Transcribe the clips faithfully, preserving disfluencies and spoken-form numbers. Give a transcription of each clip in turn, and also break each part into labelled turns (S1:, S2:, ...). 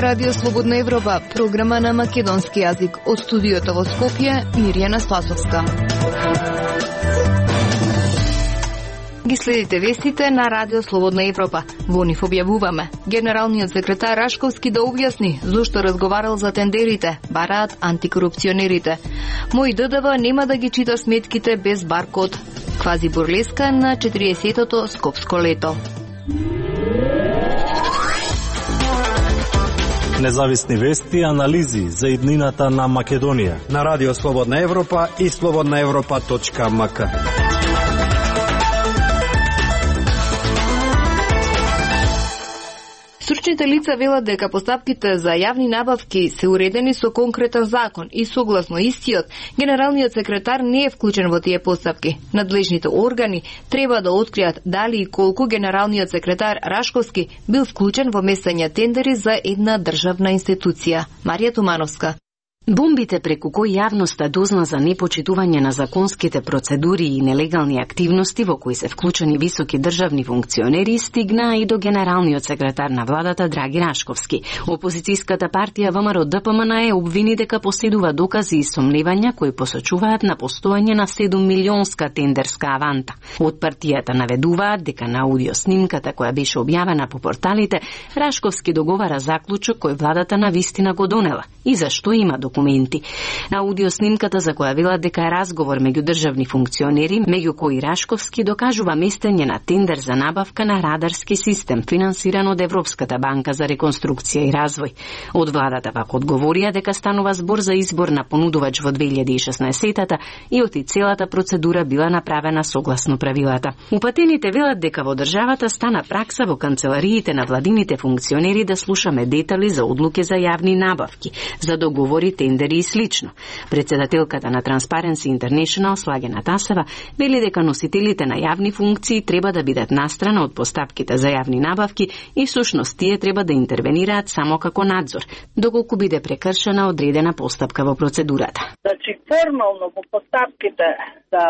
S1: Радио Слободна Европа, програма на македонски јазик. Од студиото во Скопје, Мирјана Спасовска. Ги следите вестите на Радио Слободна Европа. Во нив објавуваме. Генералниот секретар Рашковски да објасни зошто разговарал за тендерите, бараат антикорупционерите. Мој ДДВ нема да ги чита сметките без баркод. Квази бурлеска на четириесетото скопско лето.
S2: Независни вести и анализи за иднината на Македонија
S3: на Радио Слободна Европа и слободна европа точка ем ка.
S1: Стручните лица велат дека постапките за јавни набавки се уредени со конкретен закон и согласно истиот, генералниот секретар не е вклучен во тие постапки. Надлежните органи треба да откријат дали и колку генералниот секретар Рашковски бил вклучен во местење тендери за една државна институција. Марија Тумановска.
S4: Бомбите преку кои јавноста дозна за непочитување на законските процедури и нелегални активности во кои се вклучени високи државни функционери стигнаа и до генералниот секретар на владата Драги Рашковски. Опозицијската партија ВМРО Д П М Н Е обвини дека поседува докази и сомневања кои посочуваат на постоење на седум милионска тендерска аванта. Од партијата наведуваат дека на аудиоснимката која беше објавена по порталите, Рашковски договара заклучок кој владата навистина го донела и зашто има документи. На аудиоснимката за која велат дека е разговор меѓу државни функционери, меѓу кои Рашковски докажува местење на тендер за набавка на радарски систем, финансиран од Европската банка за реконструкција и развој. Од владата пак одговорија дека станува збор за избор на понудувач во две илјади и шеснаесетата и оти целата процедура била направена согласно правилата. Упатените велат дека во државата стана пракса во канцелариите на владините функционери да слушаме детали за одлуки за јавни набавки, за договори, тендери и слично. Председателката на Transparency International Слагена Тасева вели дека носителите на јавни функции треба да бидат настрана од постапките за јавни набавки и всушност тие треба да интервенираат само како надзор, доколку биде прекршена одредена постапка во процедурата.
S5: Значи формално во постапките за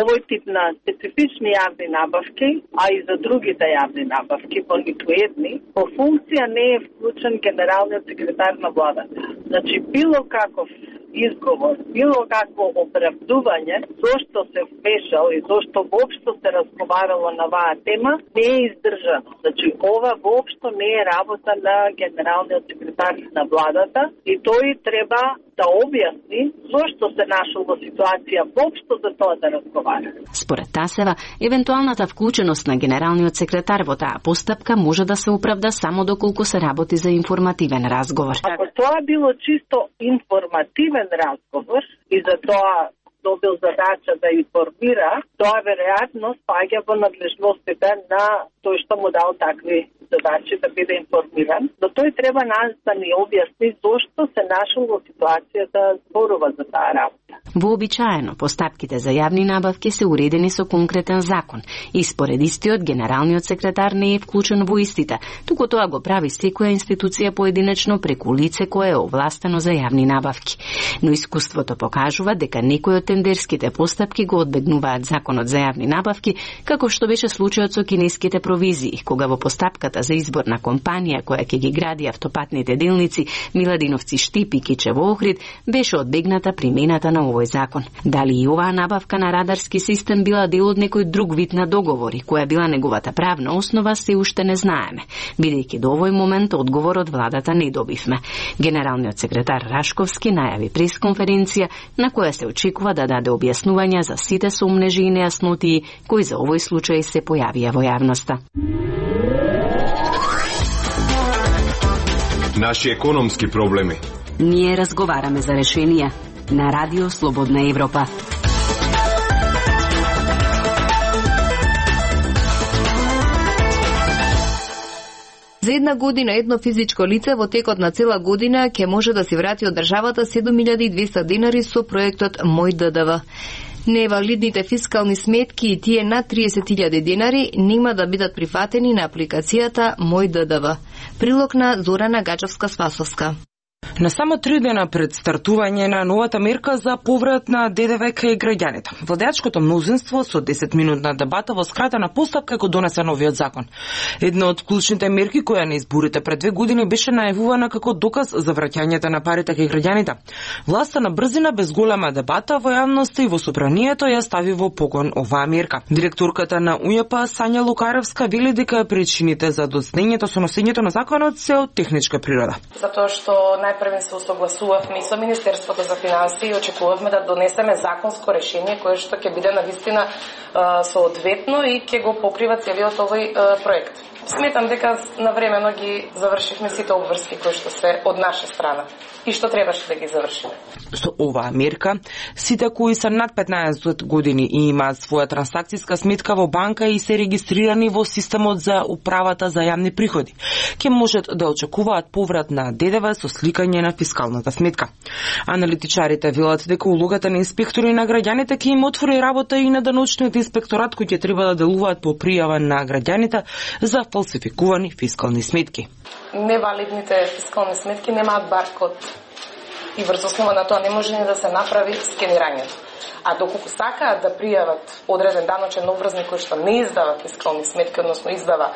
S5: овој тип на специфични јавни набавки, а и за другите јавни набавки, понекоједни, по функција не е вклучен генералниот секретар на владата. Значи било каков изговор, било какво оправдување зошто се вмешал и зошто воопшто се разговарало на оваа тема не е издржано. Значи ова воопшто не е работа на генералниот секретар на владата и тој треба да објасни зошто се нашол во ситуација воопшто за тоа да разговара.
S4: Според Тасева, евентуалната вклученост на генералниот секретар во таа постапка може да се оправда само доколку се работи за информативен разговор.
S5: Ако тоа било чисто информативен разговор и за тоа добил задача да информира, тоа веројатно спаѓа во надлежностите на тој што му дал такви задачи да биде информиран, но тој треба нас да ни објасни зошто се нашол во ситуација да зборува за таа работа.
S4: Вообичаено, постапките за јавни набавки се уредени со конкретен закон и според истиот генералниот секретар не е вклучен во истите, туку тоа го прави секоја институција поединечно преку лице кое е овластено за јавни набавки. Но искуството покажува дека некои од тендерските постапки го одбегнуваат законот за јавни набавки, како што беше случајот со кинеските провизии, кога во постапката за избор на компанија која ќе ги гради автопатните делници Миладиновци Штип и Кичево Охрид беше одбегната примената на овој закон. Дали и оваа набавка на радарски систем била дел од некој друг вид на договори, која била неговата правна основа, се уште не знаеме, бидејќи до овој момент одговор од владата не добивме. Генералниот секретар Рашковски најави пресконференција на која се очекува да даде објаснувања за сите сомнежи и нејаснотии кои за овој случај се појавија во јавноста.
S6: Наши економски проблеми.
S4: Ние разговараме за решенија на Радио Слободна Европа.
S1: За една година едно физичко лице во текот на цела година ќе може да си врати од државата седум илјади и двесте денари со проектот Мој ДДВ. Невалидните фискални сметки и тие над триесет илјади денари нема да бидат прифатени на апликацијата Мој ДДВ. Прилог на Зорана Гаџовска-Спасовска.
S7: На само три дена пред стартување на новата мерка за поврат на ДДВ кај граѓаните, владеачкото мнозинство со десетминутна дебата во скратена постапка го донесе новиот закон. Една од клучните мерки која на изборите пред две години беше најавувана како доказ за враќањето на парите кај граѓаните. Власта на брзина без голема дебата во јавноста и во собранието ја стави во погон оваа мерка. Директорката на УЈП Сања Лукаревска вели дека причините за доцнењето со носењето на законот се од техничка природа.
S8: Затоа што најпрвен се согласувавме и со Министерството за финансии и очекувавме да донесеме законско решение кое што ќе биде навистина соодветно и ќе го покрива целиот овој проект. Сметам дека навремено ги завршивме сите обврски кои што се од наша страна и што требаше да ги завршиме.
S7: Со оваа мерка, сите кои се над петнаесет години и имаат своја трансакцијска сметка во банка и се регистрирани во системот за управата за јавни приходи, ќе можат да очекуваат поврат на ДДВ со сликање на фискалната сметка. Аналитичарите велат дека улогата на инспектори на граѓаните ќе им отвори работа и на даночниот инспекторат кој ќе треба да делуваат по пријава на граѓаните за фалсификувани фискални сметки.
S8: Невалидните фискални сметки немаат баркод и врз основа на тоа не може ни да се направи скенирањето. А доколку сакаат да пријават одреден даночен обврзник кој што не издава фискални сметки, односно издава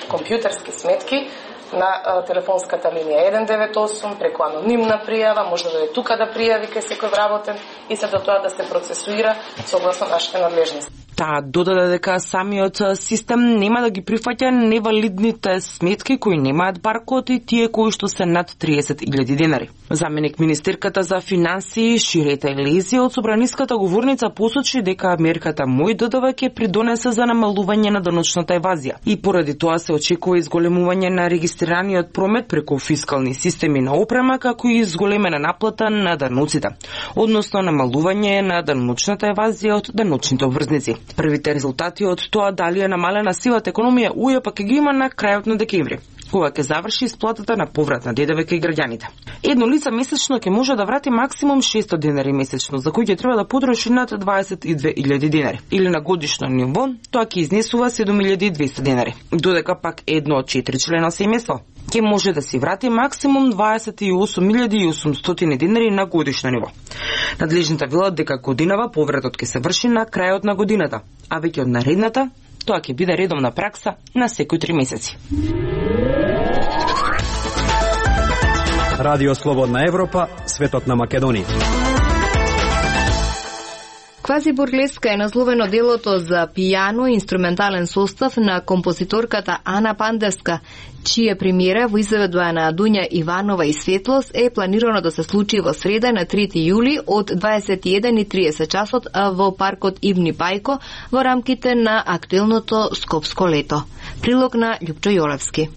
S8: компјутерски сметки, на телефонската линија еден девет осум преку анонимна пријава може да е тука да пријави кај секој вработен и се до тоа да се процесуира согласно нашите надлежности.
S7: Таа додаде дека самиот систем нема да ги прифаќа невалидните сметки кои немаат баркод и тие кои што се над триесет илјади денари. Заменик министерката за финансии Ширета Елези од собраниската говорница посочи дека мерката Мој ДДВ ќе придонесе за намалување на даночната евазија и поради тоа се очекува изголемување на регистрираниот промет преку фискални системи на опрема како и изголемена наплата на даноците, односно намалување на даночната евазија од даночните обврзници. Првите резултати од тоа дали е намалена сивата економија УЈП ќе ги има на крајот на декември, кога ќе заврши исплатата на поврат на ДДВ кај граѓаните. Едно лице месечно ќе може да врати максимум шестоста денари месечно, за кои ќе треба да потроши над дваесет и две илјади денари. Или на годишно ниво, тоа ќе изнесува седум илјади и двесте денари. Додека пак едно од четири члена семејство ќе може да си врати максимум дваесет и осум илјади и осумстотини денари на годишно ниво. Надлежните велат дека годинава повратот ќе се врши на крајот на годината, а веќе од наредната тоа ќе биде редовна пракса на секои три месеци.
S3: Радио Слободна Европа, светот на Македонија.
S1: Квазибурлеска е насловено делото за пијано и инструментален состав на композиторката Ана Пандевска, чија премиера во изведба на Дуња Иванова и Светлос е планирано да се случи во среда на трети јули од дваесет и еден и тридесет часот во паркот Ибни Пајко во рамките на актуелното Скопско лето. Прилог на Љупчо Јолевски.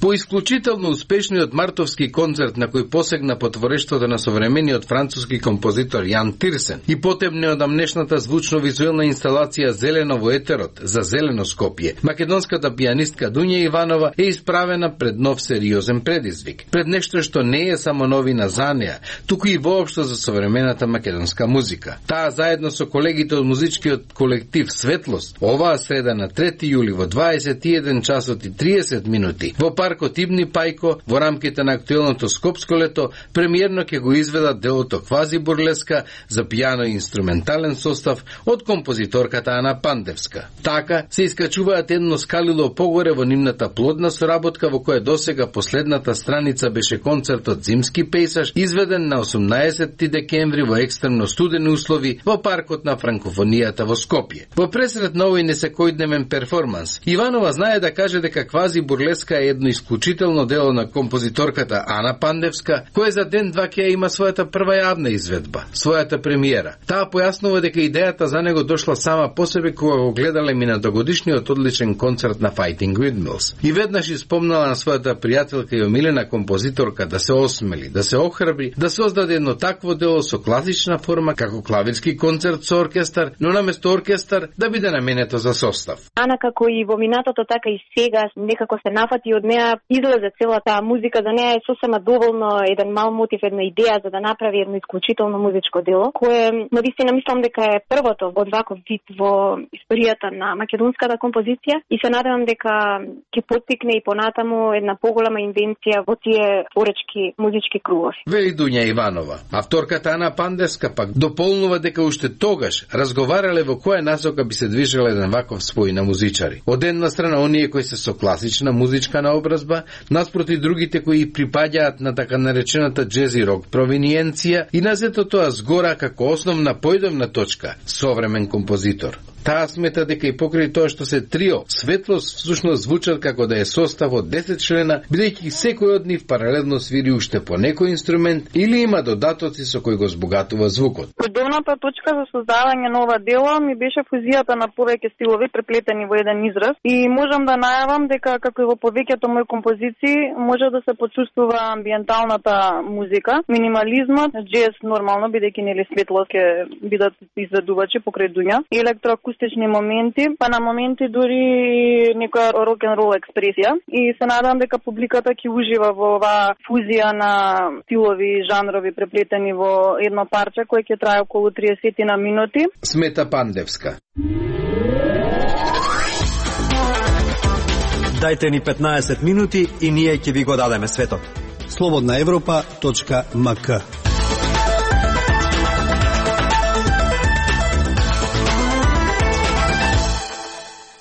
S9: По исклучително успешниот мартовски концерт на кој посегна по творештвото на современиот француски композитор Јан Тирсен и потем неодамнешната звучно-визуелна инсталација Зелено во етерот за Зелено Скопје, македонската пијанистка Дуња Иванова е исправена пред нов сериозен предизвик, пред нешто што не е само новина за неа, туку и воопшто за современата македонска музика. Таа заедно со колегите од музичкиот колектив Светлост оваа среда на трети јули во дваесет и еден часот и тридесет минути во паркот Ибни Пајко во рамките на актуелното Скопско лето премиерно ќе го изведат делото Квазибурлеска за пијано и инструментален состав од композиторката Ана Пандевска. Така се искачуваат едно скалило погоре во нивната плодна соработка во која досега последната страница беше концертот Зимски пејсаж изведен на осумнаесетти декември во екстремно студени услови во паркот на франкофонијата во Скопје. Во пресред на овој несекојдневен перформанс, Иванова знае да каже дека Квазибурлеска е едно исклучително дело на композиторката Ана Пандевска, која за ден-два ќе има својата прва јавна изведба, својата премиера. Таа појаснува дека идејата за него дошла сама по себе кога го гледале минатогодишниот одличен концерт на Fighting Windmills. И веднаш испомнала на својата пријателка и омилена композиторка да се осмели, да се охрабри, да создаде едно такво дело со класична форма како клавирски концерт со оркестар, но наместо оркестар да биде наменето за состав.
S10: Ана како и во минатото така и сега некако се нафати од неа неа излезе цела таа музика, за неа е сосема доволно еден мал мотив, една идеја за да направи едно исклучително музичко дело, кое навистина мислам дека е првото од ваков вид во историјата на македонската композиција и се надевам дека ќе поттикне и понатаму една поголема инвенција во тие творечки музички кругови.
S9: Вели Дуња Иванова. Авторката Ана Пандевска пак дополнува дека уште тогаш разговарале во која насока би се движел еден ваков спој на музичари. Од една страна оние кои се со класична музичка наобразба, наспроти другите кои припаѓаат на така наречената джези рок провиниенција и на сето тоа згора како основна појдовна точка современ композитор. Таа смета дека и покрај тоа што се трио, Светлост всушност звучат како да е состав од десет члена, бидејќи секој од нив паралелно свири уште по некој инструмент или има додатоци со кои го збогатува звукот.
S11: Појдовната точка за создавање на ова дело ми беше фузијата на повеќе стилови преплетени во еден израз и можам да најавам дека како и во повеќето мои композиции може да се почувствува амбиенталната музика, минимализмот, джез нормално бидејќи нели Светлост ќе бидат изведувачи покрај Дуња, електроакустични моменти, па на моменти дури некоја рок-н-рол експресија и се надам дека публиката ќе ужива во оваа фузија на стилови и жанрови преплетени во едно парче кое ќе трае околу триесет на минути.
S9: Смета Пандевска.
S3: Дајте ни петнаесет минути и ние ќе ви го дадеме светот. слободна европа точка ем ка.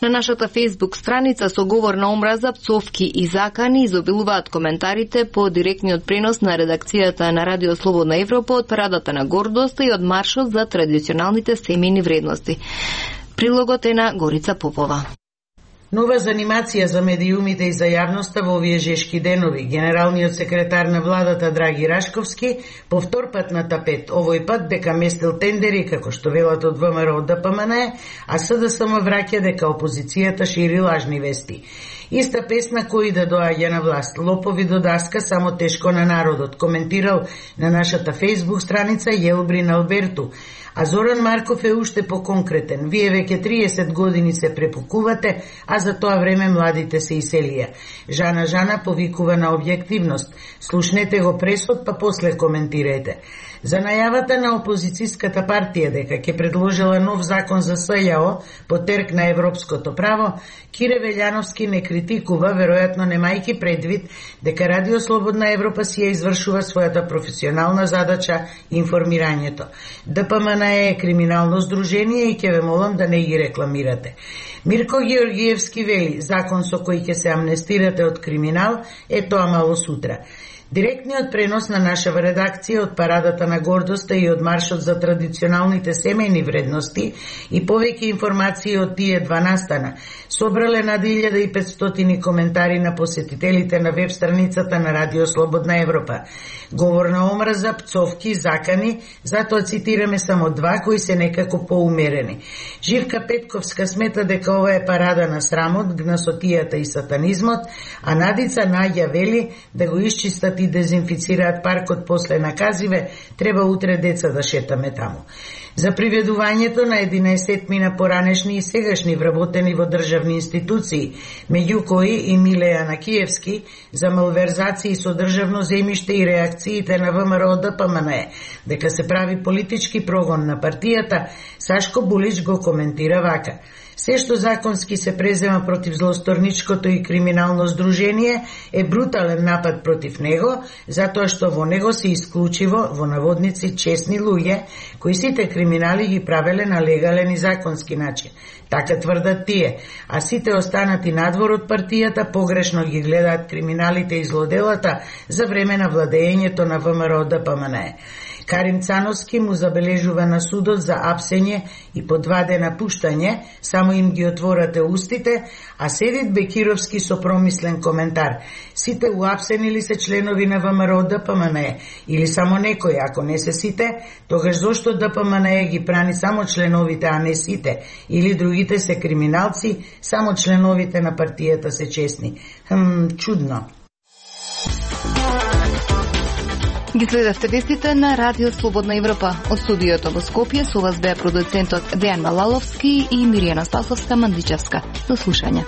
S1: На нашата Facebook страница со говор на омраза, пцовки и закани изобилуваат коментарите по директниот пренос на редакцијата на Радио Слободна Европа од Парадата на гордоста и од маршот за традиционалните семејни вредности. Прилогот е на Горица Попова.
S12: Нова занимација за медиумите и за јавноста во овие жешки денови. Генералниот секретар на владата Драги Рашковски по втор пат на тапет, овој пат дека местил тендери како што велат од ВМРО Д П М Н, а С Д С М враќа дека опозицијата шири лажни вести. Иста песна кој да доаѓа на власт. Лопови до даска, само тешко на народот, коментирал на нашата Facebook страница Јелбрин Алберту. А Зоран Марков е уште поконкретен. Вие веќе триесет години се препукувате, а за тоа време младите се иселија. Жана Жана повикува на објективност. Слушнете го пресот, па после коментирайте. За најавата на опозицијската партија дека ќе предложила нов закон за С Ј О по терк на европското право, Кире Велјановски не критикува, веројатно немајки предвид дека Радио Слободна Европа си ја извршува својата професионална задача информирањето. Д П М Н е криминално здружение и ќе ве молам да не ги рекламирате. Мирко Георгиевски вели, закон со кој ќе се амнестирате од криминал е тоа мало сутра. Директниот пренос на нашава редакција од Парадата на гордоста и од маршот за традиционалните семејни вредности и повеќе информации од тие два настана собрале над илјада и петстотини коментари на посетителите на веб страницата на Радио Слободна Европа. Говор на омраза, пцовки, закани, затоа цитираме само два кои се некако поумерени. Живка Петковска смета дека ова е парада на срамот, гнасотијата и сатанизмот, а Надица Наѓа вели да го исчистат и дезинфицираат паркот после наказиве, треба утре деца да шетаме таму. За приведувањето на единаесет мина поранешни и сегашни вработени во државни институции, меѓу кои и Милеја Накиевски, за малверзации со државно земјиште и реакциите на ВМРО Д П М Н, дека се прави политички прогон на партијата, Сашко Булич го коментира вака. Се што законски се презема против злосторничкото и криминално здружение е брутален напад против него, затоа што во него се исклучиво, во наводници, честни луѓе, кои сите криминали ги правеле на легален и законски начин. Така тврдат тие, а сите останати надвор од партијата погрешно ги гледаат криминалите и злоделата за време на владењето на ВМРО Д П М Н. Карим Цановски му забележува на судот за апсење и по два дена пуштање, само им ги отворате устите, а Седит Бекировски со промислен коментар. Сите уапсени ли се членови на ВМРО Д П М Н или само некои, ако не се сите, тогаш зошто Д П М Н ги прани само членовите, а не сите, или другите се криминалци, само членовите на партијата се честни. Хм, чудно.
S1: Ги следевте вестите на Радио Слободна Европа. Од студиото во Скопје со вас беа продуцентот Дејан Малаловски и Миријана Спасовска Мандичевска. До слушање.